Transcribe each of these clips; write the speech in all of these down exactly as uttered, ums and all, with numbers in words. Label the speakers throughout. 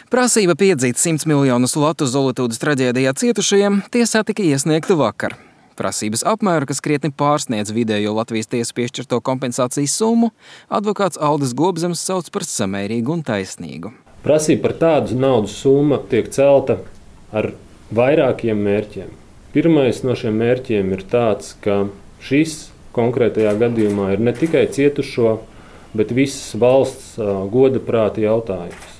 Speaker 1: Prasība piedzīt simts miljonus latu Zolitūdes traģēdijā cietušajiem tiesā tika iesniegta vakar. Prasības apmēru, kas krietni pārsniedz vidējo Latvijas tiesu piešķirto kompensācijas summu, advokāts Aldis Gobzems sauc par samērīgu un taisnīgu.
Speaker 2: Prasība par tādu naudas summu tiek celta ar vairākiem mērķiem. Pirmais no šiem mērķiem ir tāds, ka šis konkrētajā gadījumā ir ne tikai cietušo, bet visas valsts goda prāta jautājums.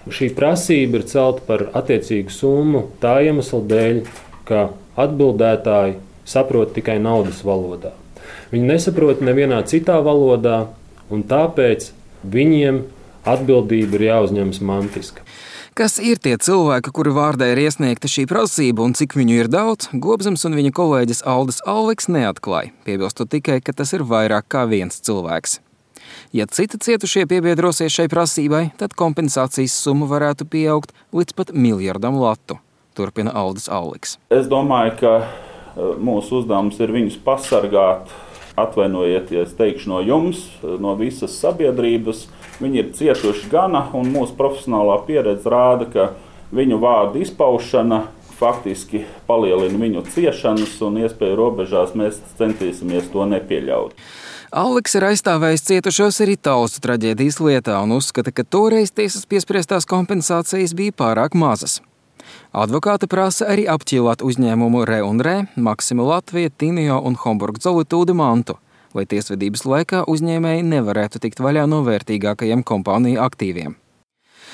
Speaker 2: Šī prasība ir celta par attiecīgu summu tā iemesla dēļ, ka atbildētāji saprot tikai naudas valodā. Viņi nesaprot nevienā citā valodā, un tāpēc viņiem atbildība ir jāuzņemas mantiska.
Speaker 1: Kas ir tie cilvēki, kuri vārdā ir iesniegta šī prasība un cik viņu ir daudz, Gobzems un viņa kolēģis Aldis Alviks neatklāja, piebilstot tikai, ka tas ir vairāk kā viens cilvēks. Ja citi cietušie piebiedrosies šai prasībai, tad kompensācijas summa varētu pieaugt līdz pat miljardam latu, turpina Aldis Alviks.
Speaker 3: Es domāju, ka mūsu uzdevums ir viņus pasargāt, atvainojieties, teikšu no jums, no visas sabiedrības. Viņi ir cietuši gana, un mūsu profesionālā pieredze rāda, ka viņu vārdu izpaušana faktiski palielina viņu ciešanas, un iespēju robežās mēs centīsimies to nepieļaut.
Speaker 1: Alviks ir aizstāvējis cietušos arī Taustu traģēdijas lietā un uzskata, ka toreiz tiesas piespriestās kompensācijas bija pārāk mazas. Advokāti prasa arī apķīlāt uzņēmumu Re un Re, Maxima Latvija, Tinio un Homburg Zolitūde mantu, lai tiesvedības laikā uzņēmēji nevarētu tikt vaļā no vērtīgākajiem kompāniju aktīviem.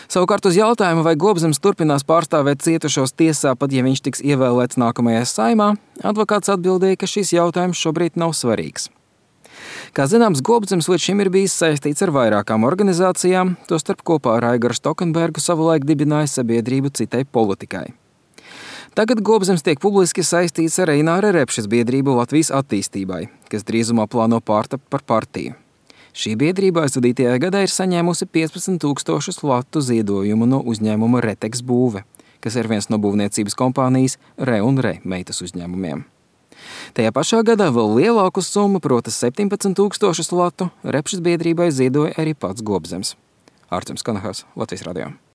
Speaker 1: Savukārt uz jautājumu, vai Gobzems turpinās pārstāvēt cietušos tiesā, pat ja viņš tiks ievēlēts nākamajā Saeimā, advokāts atbildēja, ka šis jautājums šobrīd nav svarīgs. Kā zināms, Gobzems līdz šim ir bijis saistīts ar vairākām organizācijām, tostarp kopā ar Aigaru Stokenbergu savulaik dibināja sabiedrību citai politikai. Tagad Gobzems tiek publiski saistīts ar Eināra Repšes biedrību Latvijas attīstībai, kas drīzumā plāno pārtapt par partiju. Šī biedrība aizvadītajā gadā ir saņēmusi piecpadsmit tūkstošus latu ziedojumu no uzņēmuma Reteks Būve, kas ir viens no būvniecības kompānijas Re un Re meitas uzņēmumiem. Tajā pašā gadā vēl lielāku summu, proti septiņpadsmit tūkstošus latu, Repšes biedrībai ziedoja arī pats Gobzems. Arturs Kanahas, Latvijas radio.